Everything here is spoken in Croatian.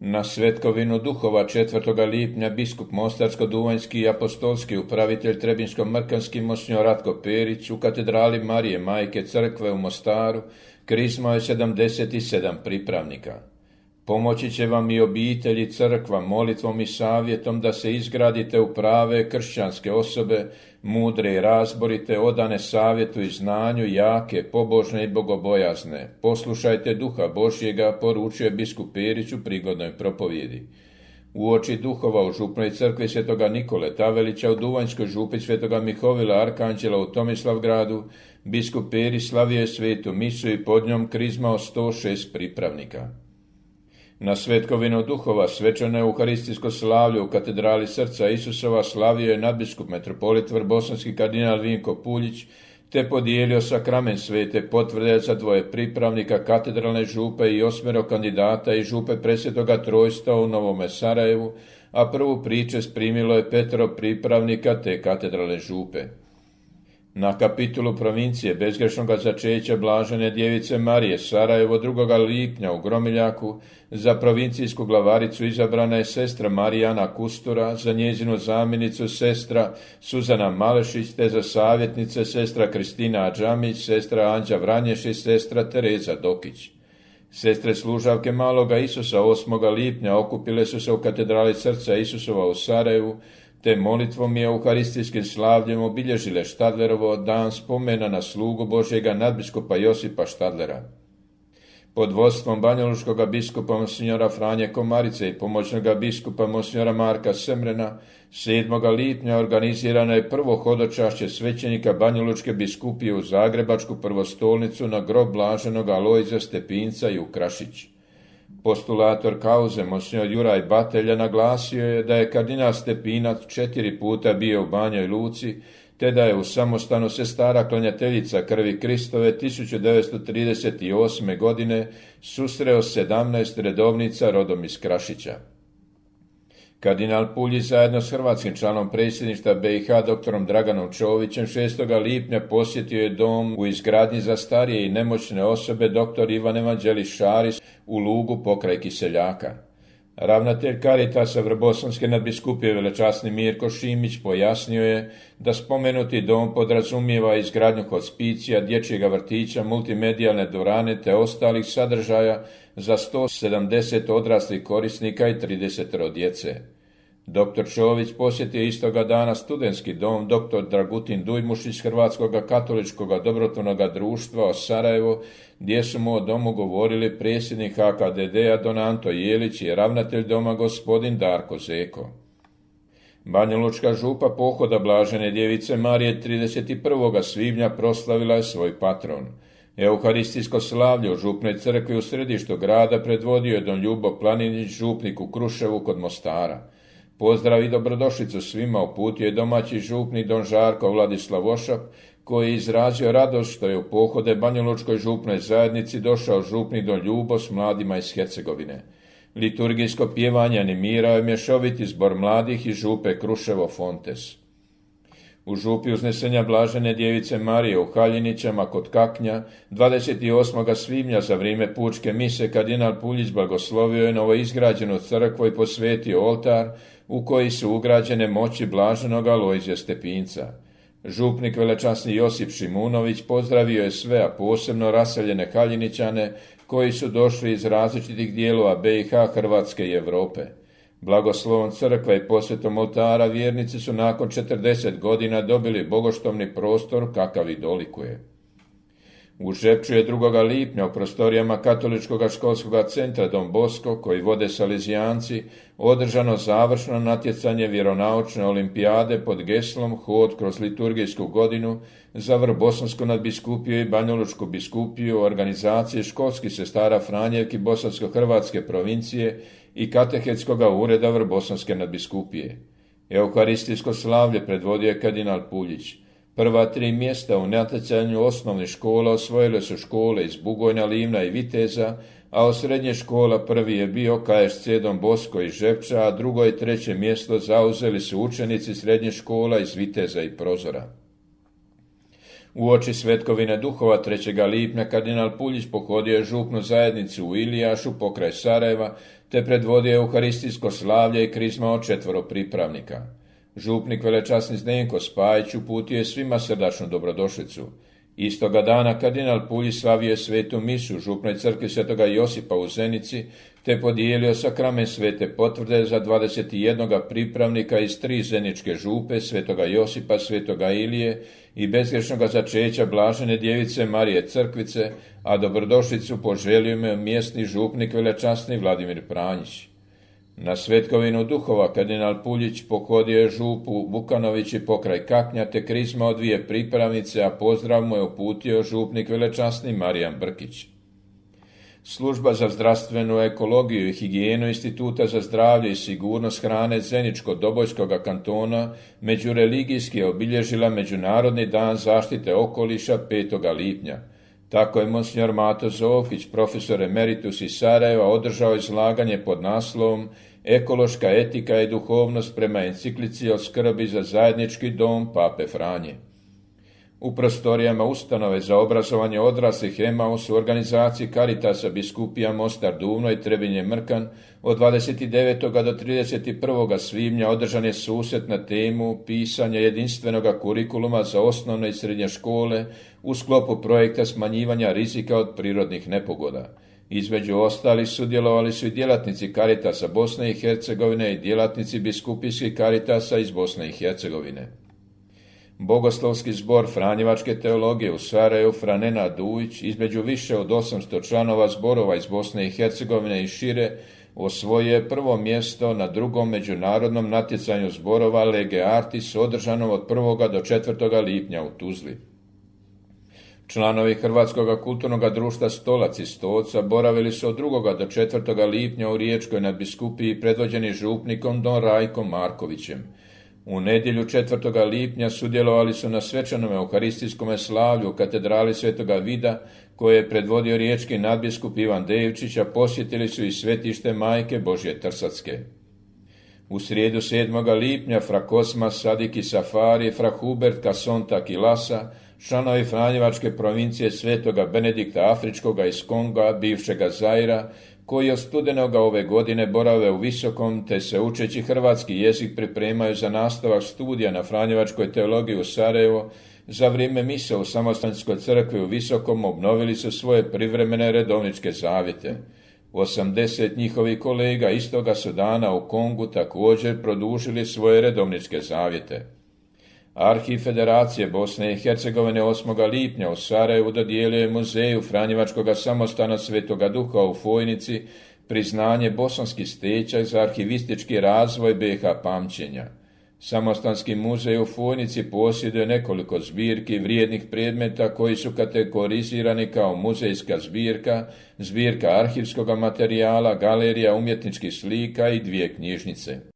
Na svetkovinu duhova 4. lipnja biskup Mostarsko-duvanjski i apostolski upravitelj Trebinsko-mrkanski monsignor Ratko Perić u katedrali Marije Majke Crkve u Mostaru krizmao je 77 pripravnika. Pomoći će vam i obitelji crkva molitvom i savjetom da se izgradite u prave kršćanske osobe, mudre i razborite, odane savjetu i znanju, jake, pobožne i bogobojazne. Poslušajte duha Božjega, poručuje biskup Perić u prigodnoj propovjedi. Uoči duhova u župnoj crkvi svetoga Nikole Tavelića, u Duvanjskoj župi svetoga Mihovila Arkanđela u Tomislavgradu, biskup Perić slavio je svetu misu i pod njom krizmao 106 pripravnika. Na svetkovinu duhova svečano euharistijsko slavlje u katedrali Srca Isusova slavio je nadbiskup metropolit vrbosanski kardinal Vinko Puljić, te podijelio sakrament svete potvrde za 2 pripravnika katedralne župe i 8 kandidata i župe Presvetoga Trojstva u Novome Sarajevu, a prvu pričest primilo je 5 pripravnika te katedralne župe. Na kapitulu provincije bezgrešnoga začeća Blažene djevice Marije Sarajevo 2. lipnja u Gromiljaku za provincijsku glavaricu izabrana je sestra Marijana Kustura, za njezinu zamjenicu sestra Suzana Malešić, te za savjetnice sestra Kristina Adžamić, sestra Anđa Vranješ i sestra Tereza Dokić. Sestre služavke Maloga Isusa 8. lipnja okupile su se u katedrali Srca Isusova u Sarajevu, te molitvom i euharistijskim slavljem obilježile Štadlerovo dan spomena na slugu Božjega nadbiskupa Josipa Štadlera. Pod vodstvom banjalučkog biskupa monsignora Franje Komarice i pomoćnog biskupa monsignora Marka Semrena 7. lipnja organizirano je prvo hodočašće svećenika Banjalučke biskupije u Zagrebačku prvostolnicu na grob blaženog Alojzija Stepinca i u Krašić. Postulator kauze monsignor Juraj Batelja naglasio je da je kardinal Stepinac 4 puta bio u Banjoj Luci, te da je u samostanu sestara klanjateljica krvi Kristove 1938. godine susreo 17 redovnica rodom iz Krašića. Kardinal Puljić zajedno s hrvatskim članom predsjedništva BiH doktorom Draganom Čovićem 6. lipnja posjetio je dom u izgradnji za starije i nemoćne osobe dr. Ivan Evanđelis Šaris u Lugu pokraj Kiseljaka. Ravnatelj Caritasa Vrbosanske nadbiskupije velečasni Mirko Šimić pojasnio je da spomenuti dom podrazumijeva izgradnju hospicija, dječjega vrtića, multimedijalne dvorane te ostalih sadržaja za 170 odraslih korisnika i 30 djece. Dr. Čović posjetio istoga dana studentski dom dr. Dragutin Dujmušić Hrvatskog katoličkog dobrotvornog društva o Sarajevo, gdje su mu o domu govorili predsjednik HKDD-a don Anto Jelić i ravnatelj doma gospodin Darko Zeko. Banjalučka župa pohoda Blažene djevice Marije 31. svibnja proslavila je svoj patron. Euharistijsko slavlje u župnoj crkvi u središtu grada predvodio je don Ljubo Planinić, župnik u Kruševu kod Mostara. Pozdrav i dobrodošlicu svima uputio je domaći župnik don Žarko Vladislav Ošap, koji je izrazio radost što je u pohode Banjalučkoj župnoj zajednici došao župnik don Ljubo s mladima iz Hercegovine. Liturgijsko pjevanje animirao je mješoviti zbor mladih iz župe Kruševo Fontes. U župi uznesenja Blažene djevice Marije u Haljinićama kod Kaknja 28. svibnja za vrijeme pučke mise kardinal Puljić blagoslovio je novoizgrađenu crkvu i posvetio oltar u koji su ugrađene moći Blaženog Alojzija Stepinca. Župnik velečasni Josip Šimunović pozdravio je sve, a posebno raseljene Haljinićane koji su došli iz različitih dijelova BiH, Hrvatske i Europe. Blagoslovom crkve i posvetom oltara vjernici su nakon 40 godina dobili bogoštovni prostor kakav i dolikuje. U Žepču je 2. lipnja u prostorijama Katoličkog školskog centra Don Bosco, koji vode salezijanci, održano završno natjecanje vjeronaučne olimpijade pod geslom Hod kroz liturgijsku godinu za Vrbosansku nadbiskupiju i Banjalučku biskupiju, organizacije školskih sestara Franjevki Bosansko-hrvatske provincije i katehetskog ureda Vrbosanske nadbiskupije. Euharistijsko slavlje predvodio je kardinal Puljić. Prva 3 mjesta u natjecanju osnovnih škola osvojile su škole iz Bugojna, Livna i Viteza, a od srednje škola prvi je bio KSC Don Bosco iz Žepča, a 2. i 3. mjesto zauzeli su učenici srednje škola iz Viteza i Prozora. Uoči svetkovine duhova 3. lipnja kardinal Puljić pohodio je župnu zajednicu u Ilijašu pokraj Sarajeva te predvodio euharistijsko slavlje i krizma od 4 pripravnika. Župnik velečasni Zdenko Spajić uputio je svima srdačnu dobrodošlicu. Istoga dana kardinal Puljić slavio je svetu misu u župnoj crkvi svetoga Josipa u Zenici te podijelio sakrament svete potvrde za 21 pripravnika iz 3 zeničke župe, svetoga Josipa, svetoga Ilije i bezgrešnoga začeća blažene djevice Marije Crkvice, a dobrodošlicu poželio mu mjesni župnik velečasni Vladimir Pranjić. Na svetkovinu duhova kardinal Puljić pohodio je župu Vukanović i pokraj Kaknja te krizma od 2 pripravnice, a pozdrav mu je uputio župnik velečasni Marijan Brkić. Služba za zdravstvenu ekologiju i higijenu Instituta za zdravlje i sigurnost hrane Zeničko-Dobojskoga kantona međureligijski je obilježila Međunarodni dan zaštite okoliša 5. lipnja. Tako je monsignor Mato Zokić, profesor emeritus iz Sarajeva, održao izlaganje pod naslovom Ekološka etika i duhovnost prema enciklici o skrbi za zajednički dom Pape Franje. U prostorijama ustanove za obrazovanje odraslih Emaus u organizaciji Caritasa biskupija Mostar Duvno i Trebinje Mrkan od 29. do 31. svibnja održan je susret na temu pisanja jedinstvenog kurikuluma za osnovne i srednje škole u sklopu projekta smanjivanja rizika od prirodnih nepogoda. Između ostalih sudjelovali su i djelatnici Caritasa Bosne i Hercegovine i djelatnici biskupijskih Caritasa iz Bosne i Hercegovine. Bogoslovski zbor Franjevačke teologije u Sarajevu Franena Dujić između više od 800 članova zborova iz Bosne i Hercegovine i šire osvojio je prvo mjesto na 2. međunarodnom natjecanju zborova Lege Artis održanom od 1. do 4. lipnja u Tuzli. Članovi Hrvatskog kulturnog društva Stolac iz Stoca boravili su od 2. do 4. lipnja u Riječkoj nadbiskupiji predvođeni župnikom don Rajkom Markovićem. U nedjelju 4. lipnja sudjelovali su na svečanom euharistijskom slavlju u katedrali Svetoga Vida, koje je predvodio riječki nadbiskup Ivan Devčić, a posjetili su i svetište Majke Božje Trsatske. U srijedu 7. lipnja fra Kosmas Sadiki Safari, fra Hubert Kasonta Kilasa, članovi Franjevačke provincije Svetoga Benedikta Afričkoga iz Konga, bivšega Zaira, koji od studenoga ove godine borave u Visokom, te se učeći hrvatski jezik pripremaju za nastavak studija na Franjevačkoj teologiji u Sarajevo, za vrijeme mise u Samostanskoj crkvi u Visokom obnovili su svoje privremene redovničke zavjete. 80 njihovih kolega istoga su dana u Kongu također produžili svoje redovničke zavjete. Arhiv Federacije Bosne i Hercegovine 8. lipnja u Sarajevu dodijelio je muzeju Franjevačkog samostana Svetoga Duha u Fojnici priznanje bosanski stečaj za arhivistički razvoj BiH pamćenja. Samostanski muzej u Fojnici posjeduje nekoliko zbirki vrijednih predmeta koji su kategorizirani kao muzejska zbirka, zbirka arhivskog materijala, galerija umjetničkih slika i 2 knjižnice.